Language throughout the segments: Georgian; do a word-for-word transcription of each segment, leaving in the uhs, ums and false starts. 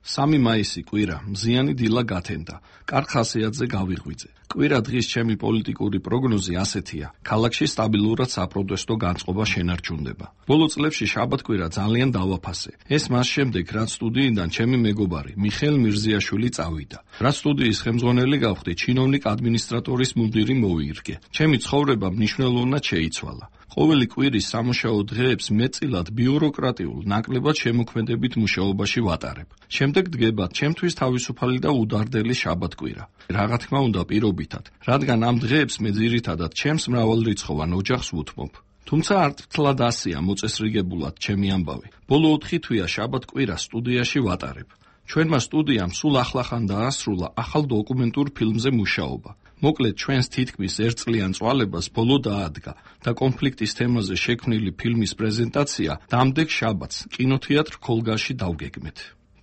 სამი მაისი კვირა, მზიანი დილა გათენდა, კარგ ხასიათზე გავიღვიძე. კვირა დღის ჩემი პოლიტიკური პროგნოზი ასეთია: ქალაქში სტაბილურად საპროტესტო განწყობა შენარჩუნდება. ბოლო წლებში შაბათ-კვირა ძალიან დავაფასე. ეს მას შემდეგ, რაც სტუდიიდან ჩემი მეგობარი მიხეილ მირზიაშვილი წავიდა. რაც სტუდიის ხელმძღვანელი გავხდი, ჩინოვნიკ ადმინისტრატორის მუნდირი მოიირგე. ჩემი ცხოვრება მნიშვნელოვნად შეიცვალა. ყოველი კვირის სამუშაო დღეებს მეტწილად ბიუროკრატიულ, ნაკლებად შემოქმედებით მუშაობაში ვატარებ. შემდეგ დგება ჩემთვის თავისუფალი და უდარდელი შაბათ-კვირა. რაღა თქმა უნდა პირობითად, რადგან ამ დღეებს მე ძირითადად ჩემს მრავალრიცხოვან ოჯახს ვუთმობ. თუმცა არც მთლად ასეა მოწესრიგებულად ჩემი ამბავი. ბოლო ოთხი თვეა შაბათ-კვირა სტუდიაში ვატარებ. ჩვენმა სტუდიამ სულ ახლახან დაასრულა ახალ დოკუმენტურ ფილმზე მუშაობა. მოკლედ ჩვენს თითქმის ერთწლიან წვალებას ბოლო დაადგა და კონფლიქტის თემაზე შექმნილი ფილმის პრეზენტაცია დამდეგ შაბათს კინოთეატრ ქოლგაში დავგეგმეთ.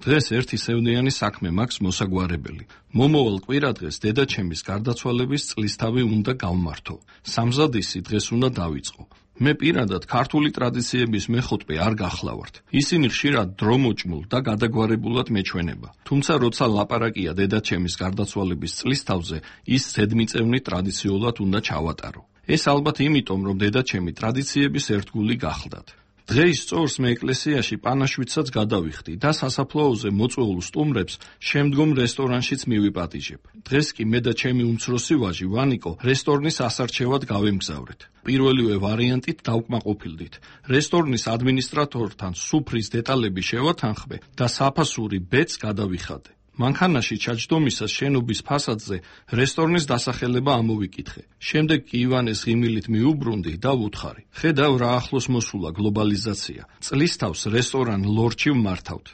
დღეს ერთი სევდიანი საქმე მაქვს მოსაგვარებელი. მომავალ კვირადღეს დედაჩემის გარდაცვალების წლისთავი უნდა გავმართო. სამზადისი დღეს უნდა დავიწყო. მე პირადად ქართული ტრადიციების მეხუთვე არ გახლავართ. ისინი ხშირად დრომოჭმულ და გადაგვარებულად მეჩვენება. თუმცა როცა ლაპარაკია დედაჩემის გარდაცვალების წლისთავზე, ის ზედმიწევნი ტრადიციულად უნდა ჩავატარო. ეს ალბათ იმიტომ, რომ დედაჩემი ტრადიციების ერთგული გახლდათ. დღეის სწორს მე ეკლესიაში პანაშვიდსაც გადავიხდი და სასაფლაოზე მოწვეულ სტუმრებს შემდგომ რესტორანშიც მივიპატიჟებ. დღეს კი მე და ჩემი უმცროსი ვაჟი ვანიკო რესტორნის ასარჩევად გავემგზავრეთ. პირველივე ვარიანტით დავკმაყოფილდით. რესტორნის ადმინისტრატორთან სუფრის დეტალები შევათანხმე და საფასური ბედს გადავიხადე. მანქანაში ჩაჯდომისას შენობის ფასადზე რესტორნის დასახელება ამოვიკითხე. შემდეგ კი ივანეს ღიმილით მიუბრუნდი და ვუთხარი: ხედავ რა ახლოს მოსულა გლობალიზაცია. წლისთავს რესტორან ლორჩი ვმართავთ.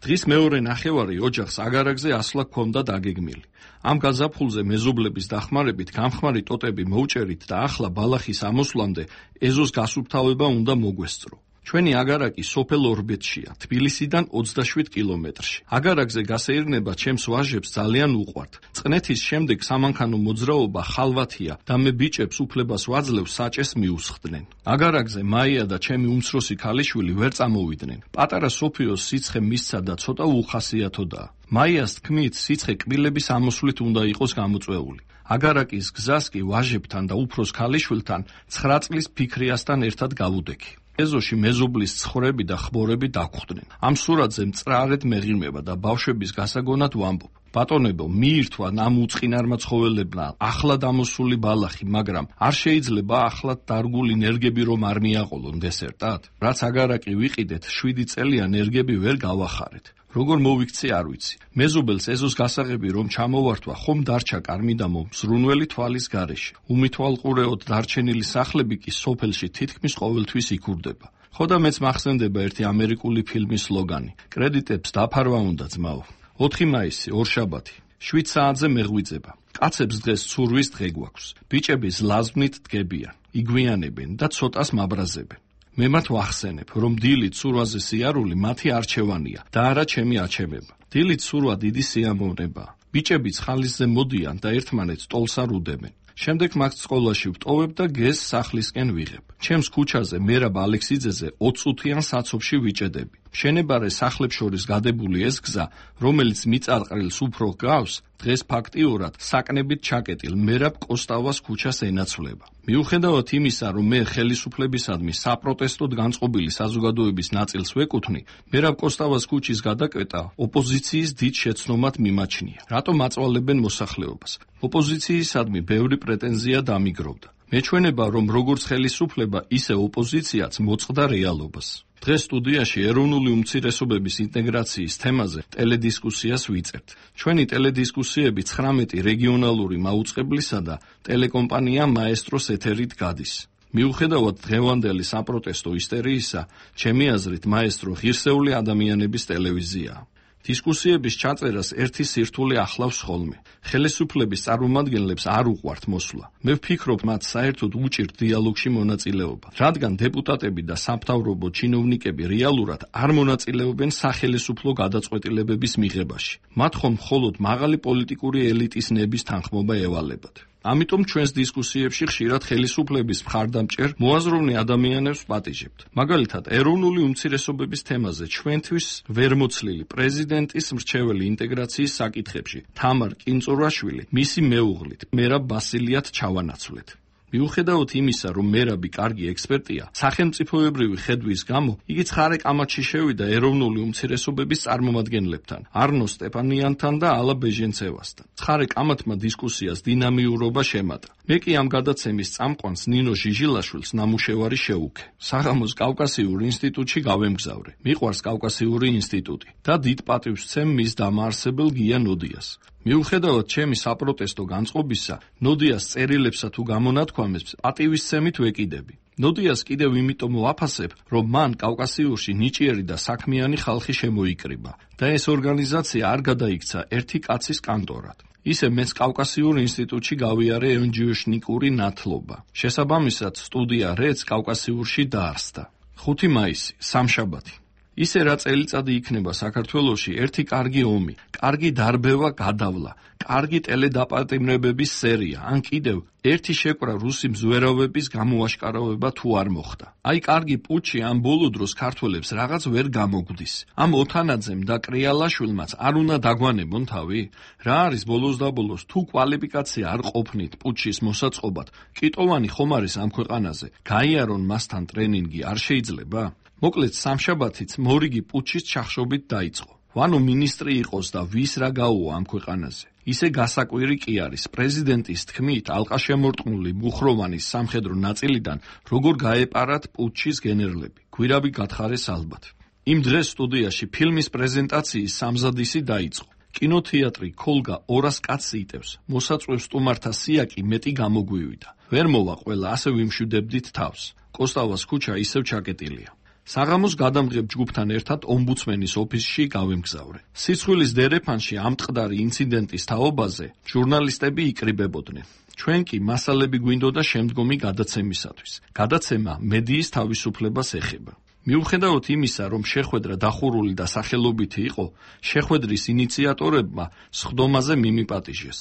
დღის მეორე ნახევარი ოჯახს აგარაკზე ასვლა ჰქონდა დაგეგმილი. ამ გაზაფხულზე მეზობლების დახმარებით გამხმარი ტოტები მოვჭერით და ახლა ბალახის ამოსვლამდე ეზოს გასუფთავება უნდა მოგვესწრო. ჩვენი აგარაკი სოფელ ორბეთშია, თბილისიდან ოცდაშვიდ კილომეტრში. აგარაკზე გასეირნება ჩემს ვაჟებს ძალიან უყვართ. წნეთის შემდეგ სამანქანო მოძრაობა ხალვათია და მე ბიჭებს უფლებას ვაძლევ საჭეს მიუსხდნენ. აგარაკზე მაია და ჩემი უმცროსი ქალიშვილი ვერ წამოვიდნენ. პატარა სოფიოს სიცხე მისცა და ცოტა უხასიათოდაა. მაიას თქმით, სიცხე კბილების ამოსვლით უნდა იყოს გამოწვეული. აგარაკის გზას კი ვაჟებთან და უფროს ქალიშვილთან ცხრა წლის ფიქრიასთან ერთად გავუდექი. ეზოში მეზობლის ცხვრები და ხბორები დაგხვდნენ. ამ სურათზე მწრარედ მეღიმება და ბავშვების გასაგონად ვამბობ: ბატონებო, მიირთვა ამ უწყინარმა ცხოველებმა ახლა დამოსული ბალახი, მაგრამ არ შეიძლება ახლად დარგული ნერგები რომ არ მიაყოლონ დესერტად? რაც აგარაკი ვიყიდეთ, შვიდი წელია ნერგები ვერ გავახარეთ. როგორ მოვიქცე არ ვიცი. მეზობელს ეზოს გასაღები რომ ჩამოვართვა, ხომ დარჩა კარმიდამო მზრუნველი თვალის გარეშე. უმითვალყურეოდ დარჩენილი სახლები კი სოფელში თითქმის ყოველთვის იქურდება. ხო და მეც მახსენდება ერთი ამერიკული ფილმის სლოგანი: კრედიტებს დაფარვა უნდა ძმაო. ოთხი მაისი, ორშაბათი. შვიდ საათზე მეღვიძება. კაცებს დღეს ცურვის დღე გვაქვს. ბიჭები ზლაზვნით დგებიან, იგვიანებენ და ცოტას მაბრაზებენ. მე მათ ვახსენებ, რომ დილით ცურვაზე სიარული მათი არჩევანია და არა ჩემი აჩემება. დილით ცურვა დიდი სიამოვნებაა. ბიჭებიც ხალისზე მოდიან და ერთმანეთს ტოლს არ უდებენ. შემდეგ მათ სკოლაში ვტოვებ და გეზს სახლისკენ ვიღებ. ჩემს ქუჩაზე მერაბ ალექსიძეზე ოცწუთიან საცობში ვიჭედები. მშენებარე სახლებს შორის გადებული ეს გზა, რომელიც მიწარყრილს უფრო გავს, დღეს ფაქტიურად საკნებით ჩაკეტილ მერაბ კოსტავას ქუჩას ენაცვლება. მიუხედავად იმისა, რომ მე ხელისუფლებისადმი საპროტესტოდ განწყობილი საზოგადოების ნაწილს ვეკუთვნი, მერაბ კოსტავას ქუჩის გადაკვეტა ოპოზიციის დიდ შეცდომად მიმაჩნია. რატომ აწვალებენ მოსახლეობას? ოპოზიციისადმი ბევრი პრეტენზია დამიგროვდა. მეჩვენება, რომ როგორც ხელისუფლება, ისე ოპოზიციაც მოწყდა რეალობას. დღეს სტუდიაში ეროვნული უმცირესობების ინტეგრაციის თემაზე ტელედისკუსიას ვიწერთ. ჩვენი ტელედისკუსიები ცხრამეტი რეგიონალური მაუწყებლისა და ტელეკომპანია მაესტროს ეთერით გადის. მიუხედავად დღევანდელი საპროტესტო ისტორიისა, ჩემი აზრით მაესტრო ღირსეული ადამიანების ტელევიზიაა. დისკუსიების ჩაწერას ერთი სირთულე ახლავს ხოლმე. ხელისუფლების წარმომადგენლებს არ უყვართ მოსვლა. მე ვფიქრობ, მათ საერთოდ უჭირთ დიალოგში მონაწილეობა, რადგან დეპუტატები და სამთავრობო ჩინოვნიკები რეალურად არ მონაწილეობენ სახელისუფლო გადაწყვეტილებების მიღებაში. მათ ხომ მხოლოდ მაღალი პოლიტიკური ელიტის ნების თანხმობა ევალებათ. ამიტომ ჩვენს დისკუსიებში ხშირად ხელისუფლების მხარდამჭერ მოაზროვნე ადამიანებს ვპატიჟებთ. მაგალითად, ეროვნული უმცირესობების თემაზე ჩვენთვის ვერ მოცლილი პრეზიდენტის მრჩეველი ინტეგრაციის საკითხებში თამარ კინწურაშვილი მისი მეუღლით მერაბ ბასილიათ ჩავანაცვლეთ. მიუხედავად იმისა, რომ მერაბი კარგი ექსპერტია, სახელმწიფოებრივი ხედვის გამო იგი ცხარე კამათში შევიდა ეროვნული უმცირესობების წარმომადგენლებთან, არნო სტეპანიანთან და ალა ბეჟენცევასთან. ცხარე კამათმა დისკუსიას დინამიურობა შემატა. მე კი ამ გადაცემის წამყვანს ნინო ჟიჟილაშვილს ნამუშევარი შეუქე. საღამოს კავკასიურ ინსტიტუტში გავემგზავრე. მიყვარს კავკასიური ინსტიტუტი და დიდ პატივს ვცემ მის დამაარსებელ გია ნოდიას. მიუხედავად ჩემი საპროტესტო განწყობისა, ნოდიას წერილებსა თუ გამონათქვამებს პატივისცემით ვეკიდები. ნოდიას კიდევ იმიტომ ვაფასებ, რომ მან კავკასიურში ნიჭიერი და საქმიანი ხალხი შემოიკრიბა და ეს ორგანიზაცია არ გადაიქცა ერთი კაცის კანტორად. ისე მეც კავკასიურ ინსტიტუტში გავიარე ევენჯიოშნიკური ნათლობა. შესაბამისად, სტუდია რეც კავკასიურში დაარსდა. ხუთი მაისი, სამშაბათი. ისე რა წელიწადი იქნება საქართველოში ერთი კარგი ომი, კარგი დარბევა გადავლა, კარგი ტელედაპატიმრებების სერია, ან კიდევ ერთი შეკვრა რუსი მზვერავების გამოაშკარავება თუ არ მოხდა. აი კარგი პუჩი ამ ბოლო დროს ქართველებს რაღაც ვერ გამოგვდის. ამ ოთანაძემ და კრიალაშვილმაც არ უნდა დაგვანებონ თავი? რა არის ბოლოს და ბოლოს თუ კვალიფიკაცია არ ყოფნით პუჩის მოსაწყობად, კიტოვანი ხომ არის ამ ქვეყანაზე, გაიარონ მასთან ტრენინგი არ შეიძლება? მოკლედ სამშაბათიც მორიგი პუჩის ჩახშობით დაიწყო. ვანო მინისტრი იყოს და ვის რა გაუო ამ ქვეყანაზე. ისე გასაკვირი კი არის, პრეზიდენტის თქმით, ალყაშემორტყმული მუხროვანის სამხედრო ნაწილიდან როგორ გაეპარათ პუჩის გენერლები. გვირაბი გათხარეს ალბათ. იმ დღეს სტუდიაში ფილმის პრეზენტაციის სამზადისი დაიწყო. კინოთეატრი ქოლგა ორას კაცს იტევს. მოსაწვევ სტუმართა სია კი მეტი გამოგვივიდა. ვერ მოვა ყველა, ასე ვიმშვიდებდით თავს. კოსტავას ქუჩა ისევ ჩაკეტილია. საღამოს გადამღებ ჯგუფთან ერთად ომბუდსმენის ოფისში გავემგზავრე. სიცხვილის დერეფანში ამ ტყდარი ინციდენტის თაობაზე ჟურნალისტები იკრიბებოდნენ. ჩვენ კი მასალები გვინდოდა შემდგომი გადაცემისათვის. გადაცემა მედიის თავისუფლებას ეხება. მიუხედავად იმისა, რომ შეხვედრა დახურული და სახელობითი იყო, შეხვედრის ინიციატორებმა სხდომაზე მიმიპატიჟეს.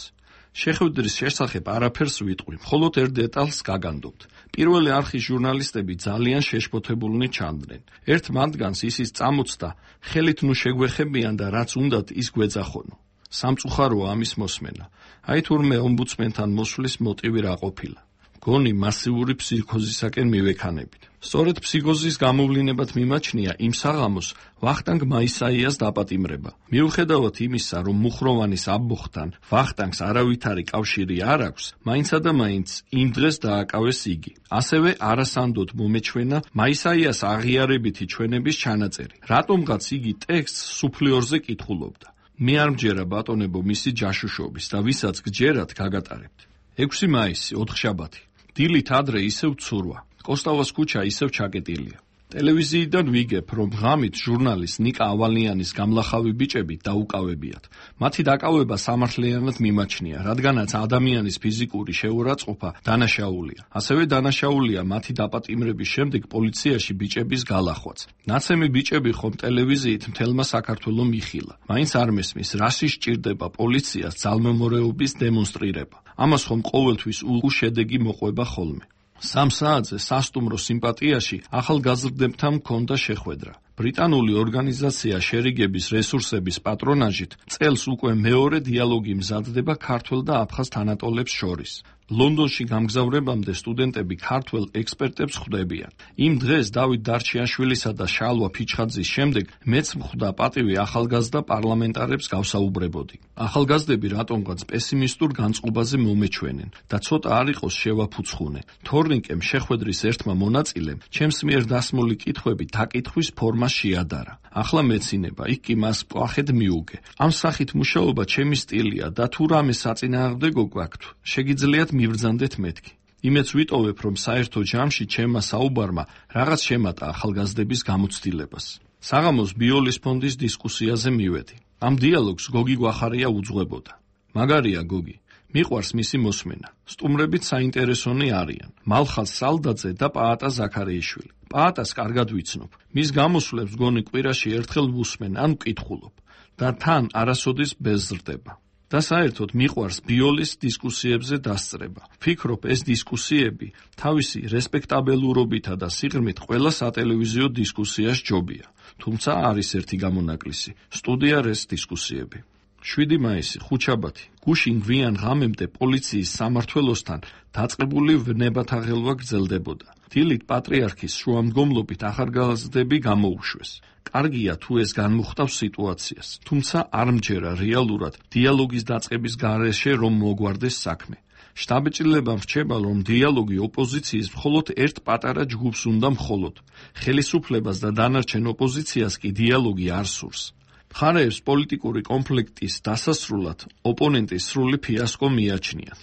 შეხვედრის შესახებ არაფერს ვიტყვი, მხოლოდ ერთ დეტალს გაგანდობთ. პირველი არხის ჟურნალისტები ძალიან შეშფოთებულნი ჩანდნენ. ერთ მათგანს ისიც წამოწდა, ხელით ნუ შეგვეხებიან და რაც უნდათ ის გვეძახონო. სამწუხაროა ამის მოსმენა. აი თურმე ომბუდსმენთან მოსვლის მოტივი რა ყოფილა. გონი მასიური ფსიქოზისაკენ მივექანებით. სწორედ ფსიქოზის გამოვლინებად მიმაჩნია იმ საღამოს ვახტანგ მაისაიას დაპატიმრება. მიუხედავად იმისა, რომ მუხროვანის ამბოხთან ვახტანგს არავითარი კავშირი არ აქვს, მაინცა და მაინც იმ დღეს დააკავეს იგი. ასევე არასანდოდ მომეჩვენა მაისაიას აღიარებითი ჩვენების ჩანაწერი. რატომღაც იგი ტექსტს სუფლიორზე კითხულობდა. მე არ მჯერა ბატონებო მისი ჯაშუშობის და ვისაც გჯერათ გაგატარებთ. ექვსი მაისი, ოთხშაბათი. დილით ადრე ისევ ცურვა. კოსტავას ქუჩა ისევ ჩაკეტილია. ტელევიზიიდან ვიგებ, რომ ღამით ჟურნალის ნიკა ავალიანის გამლახავი ბიჭები დაუკავებიათ. მათი დაკავება სამართლიანად მიმაჩნია, რადგანაც ადამიანის ფიზიკური შეურაცხყოფა დანაშაულია. ასევე დანაშაულია მათი დაპატიმრების შემდეგ პოლიციაში ბიჭების გალახვაც. ნაცემი ბიჭები ხომ ტელევიზიით მთელმა საქართველომ იხილა. მაინც არ მესმის, რაში სჭირდება პოლიციას ძალმომორეობის დემონსტრირება. ამას ხომ ყოველთვის უშედეგი მოყვება ხოლმე. სამ საათზე სასტუმრო სიმპათიაში ახალგაზრდებთან მქონდა შეხვედრა. ბრიტანული ორგანიზაცია შერიგების რესურსების პატრონაჟით წელს უკვე მეორე დიალოგი მზადდება ქართველ და აფხაზ თანატოლებს შორის. ლონდონში გამგზავრებამდე სტუდენტები ქართველ ექსპერტებს ხვდებიან. იმ დღეს დავით დარჩიაშვილისა და შალვა ფიჩხაძის შემდეგ მეც მხვდა პატივი ახალგაზრდა პარლამენტარებს გავსაუბრებოდი. ახალგაზრდები რატომღაც პესიმისტურ განწყობაზე მომეჩვენენ და ცოტა არ იყოს შევაფუცხუნე. თორნიკემ შეხვედრის ერთმა მონაწილემ ჩემს მიერ დასმული კითხვები დაკითხვის ფორმას შეადარა. ახლა მეცინება, იქ კი მას პლახედ მიუგე. ამ სახით მუშაობა ჩემი სტილია და თუ რამე საწინააღმდეგო გვაქვთ, შეგიძლიათ მიბრძანდეთ მეთქი. იმეც ვიტოვებ, რომ საერთო ჯამში ჩემმა საუბარმა რაღაც შემატა ახალგაზრდების გამოცდილებას. საღამოს ბიოლის ფონდის დისკუსიაზე მივედი. ამ დიალოგს გოგი გვახარია უძღვებოდა. მაგარია გოგი, მიყვარს მისი მოსმენა. სტუმრებით საინტერესონი არიან. მალხაზ სალდაძე და პაატა ზაქარიაშვილი. პაატას კარგად ვიცნობ. მის გამოსვლებს გონი კვირაში ერთხელ ვუსმენ ან ვკითხულობ და თან არასოდეს ბეზრდება. და საერთოდ მიყვარს ბიოლის დისკუსიებზე დასწრება. ვფიქრობ, ეს დისკუსიები თავისი რესპექტაბელურობითა და სიღრმით ყველა სატელევიზიო დისკუსიას ჯობია. თუმცა არის ერთი გამონაკლისი, სტუდია რეს დისკუსიები. შვიდი მაისი, ხუთშაბათი, გუშინ გვიან ღამემდე პოლიციის სამმართველოსთან დაწყებული ვნებათაღელვა გრძელდებოდა. დილით პატრიარქის შუამდგომლობით ახალგაზრდები გამოუშვეს. კარგია თუ ეს განმუხტავს სიტუაციას, თუმცა არ მჯერა რეალურად დიალოგის დაწყების გარეშე რომ მოგვარდეს საქმე. შტაბ-ჭრილებამ რჩება, რომ დიალოგი ოპოზიციის მხოლოდ ერთ პატარა ჯგუფს უნდა მხოლოდ. ხელისუფლებას და დანარჩენ ოპოზიციას კი დიალოგი არ სურს. მხარეებს პოლიტიკური კონფლიქტის დასასრულად ოპონენტის სრული ფიასკო მიაჩნიათ.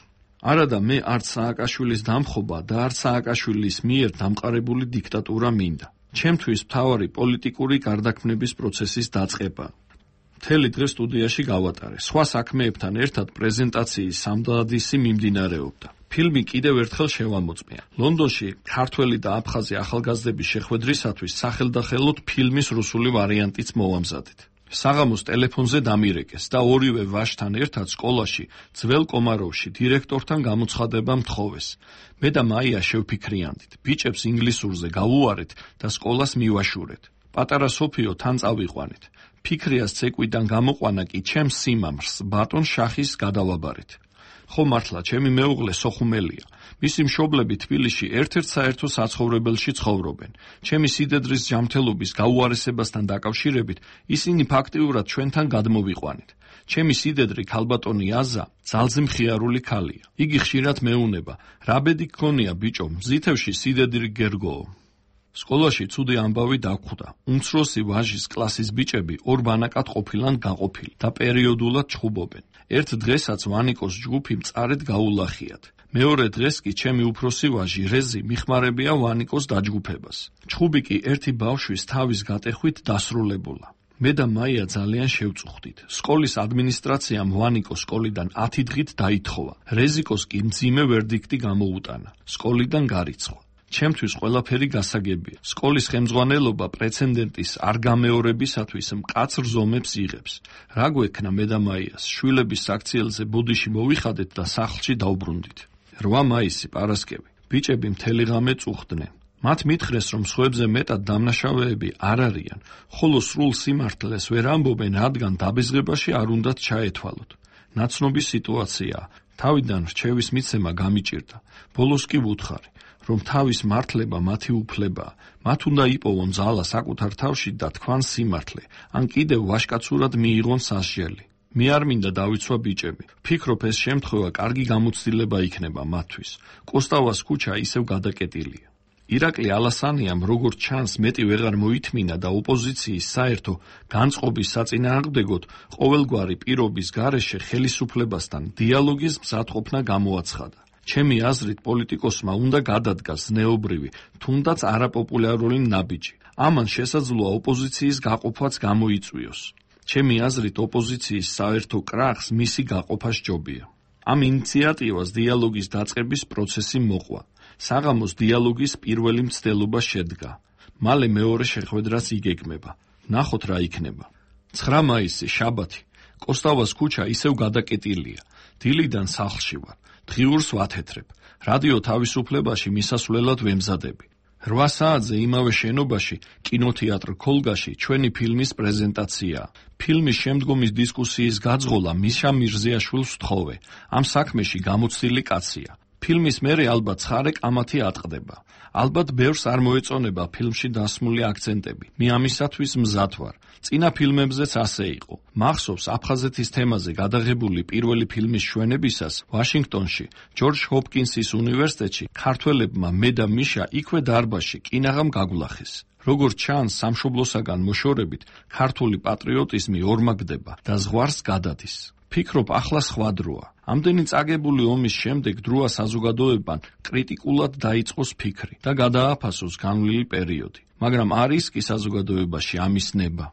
არადა მე არც სააკაშვილის დამხობა და არც სააკაშვილის მიერ დამყარებული დიქტატურა მინდა. ჩემთვის მთავარი პოლიტიკური გარდაქმნების პროცესის დაწყება. მთელი დღე სტუდიაში გავატარე. სხვა საქმეებთან ერთად პრეზენტაციის სამდადისი მიმდინარეობდა. ფილმი კიდევ ერთხელ შევამოწმია. ლონდონში ქართველი და აფხაზი ახალგაზრდების შეხვედრისათვის სახელდახელოდ ფილმის რუსული ვარიანტიც მოვამზადეთ. საღამოს ტელეფონზე დამირეკეს და ორივე ვაჟთან ერთად სკოლაში ძველ კომაროვში დირექტორთან გამოცხადება მთხოვეს. მე და მაია შევფიქრიანდით, ბიჭებს ინგლისურზე გავუარეთ და სკოლას მივაშურეთ. პატარა სოფიო თან წავიყვანეთ. ფიქრიას ცეკვიდან გამოყვანა კი ჩემს სიმამრს ბატონ შახის გადავაბარეთ. ხო მართლა, ჩემი მეუღლე სოხუმელია. მისი მშობლები თბილისში ერთ-ერთ საერთო საცხოვრებელში ცხოვრობენ. ჩემი სიდედრის ჯანმრთელობის გაუარესებასთან დაკავშირებით ისინი ფაქტიურად ჩვენთან გადმოვიყვანეთ. ჩემი სიდედრი ქალბატონი აზა ძალზე მხიარული ქალია. იგი ხშირად მეუნება, რა ბედი გქონია ბიჭო, მზითევში სიდედრი გერგოო. სკოლაში ცუდი ამბავი დაგვხვდა. უმცროსი ვაჟის კლასის ბიჭები ორ ბანაკად ყოფილან გაყოფილი და პერიოდულად ჩხუბობენ. ერთ დღესაც ვანიკოს ჯგუფი მწარედ გაულახიათ. მეორე დღეს კი ჩემი უფროსი ვაჟი რეზი მიხმარებია ვანიკოს დაჯგუფებას. ჩხუბი კი ერთი ბავშვის თავის გატეხვით დასრულებულა. მე და მაია ძალიან შევწუხდით. სკოლის ადმინისტრაციამ ვანიკოს სკოლიდან ათი დღით დაითხოვა. რეზიკოს კი მძიმე ვერდიქტი გამოუტანა. სკოლიდან გარიცხვა. ჩემთვის ყველაფერი გასაგებია. სკოლის ხელმძღვანელობა პრეცედენტის არ გამეორებისათვის მკაცრ ზომებს იღებს. რა გვექნა მე და მაიას, შვილების საქციელზე ბოდიში მოვიხადეთ და სახლში დავბრუნდით. რვა მაისი პარასკევი. ბიჭები მთელი ღამე წუხდნენ. მათ მითხრეს, რომ სხვებზე მეტად დამნაშავეები არ არიან, ხოლო სრულ სიმართლეს ვერ ამბობენ, რადგან დაბეზღებაში არ უნდათ ჩაეთვალოთ. ნაცნობი სიტუაციაა. თავიდან რჩევის მიცემა გამიჭირდა. ბოლოს კი ვუთხარი, რომ თავის მართლება მათი უფლებაა. მათ უნდა იპოვონ ძალა საკუთარ თავში და თქვან სიმართლე, ან კიდევ ვაჟკაცურად მიიღონ სასჯელი. მე არ მინდა დავიცვა ბიჭები. ფიქრობ, ეს შემთხვევა კარგი გამოცდილება იქნება მათთვის. კოსტავას ქუჩა ისევ გადაკეტილია. ირაკლი ალასანიამ როგორც ჩანს მეტი ვეღარ მოითმინა და ოპოზიციის საერთო განწყობის საწინააღმდეგოდ ყოველგვარი პირობის გარეშე ხელისუფლებასთან დიალოგის მზადყოფნა გამოაცხადა. ჩემი აზრით პოლიტიკოსმა უნდა გადადგას ზნეობრივი, თუნდაც არაპოპულარული ნაბიჯი. ამან შესაძლოა ოპოზიციის გაყოფაც გამოიწვიოს. ჩემი აზრით ოპოზიციის საერთო კრახს მისი გაყოფა სჯობია. ამ ინიციატივას დიალოგის დაწყების პროცესი მოყვა. საღამოს დიალოგის პირველი მცდელობა შედგა. მალე მეორე შეხვედრაც იგეგმება. ნახოთ რა იქნება. ცხრა მაისი, შაბათი. კოსტავას ქუჩა ისევ გადაკეტილია. დილიდან სახლში ვარ. დღიურს ვათეთრებ. რადიო თავისუფლებაში მისასვლელად ვემზადები. რვა საათზე იმავე შენობაში, კინოთეატრ ქოლგაში ჩვენი ფილმის პრეზენტაციაა. ფილმის შემდგომის დისკუსიის გაძღოლა მიშა მირზიაშვილს ვთხოვე. ამ საქმეში გამოცდილი კაცია. ფილმის მერე ალბათ ცხარე კამათი ატყდება. ალბათ ბევრს არ მოეწონება ფილმში დასმული აქცენტები. მე ამისათვის მზად ვარ. წინა ფილმებზეც ასე იყო. მახსოვს აფხაზეთის თემაზე გადაღებული პირველი ფილმის ჩვენებისას ვაშინგტონში, ჯორჯ ჰოპკინსის უნივერსიტეტში ქართველებმა მე და მიშა იქვე დარბაზში კინაღამ გაგვლახეს. როგორც ჩანს, სამშობლოსაგან მოშორებით ქართული პატრიოტიზმი ორმაგდება და ზღვარს გადადის. ფიქრობ, ახლა სხვა დროა. ამდენი წაგებული ომის შემდეგ დროა საზოგადოებამ კრიტიკულად დაიწყოს ფიქრი და გადააფასოს განვლილი პერიოდი. მაგრამ არის კი საზოგადოებაში ამის ნება.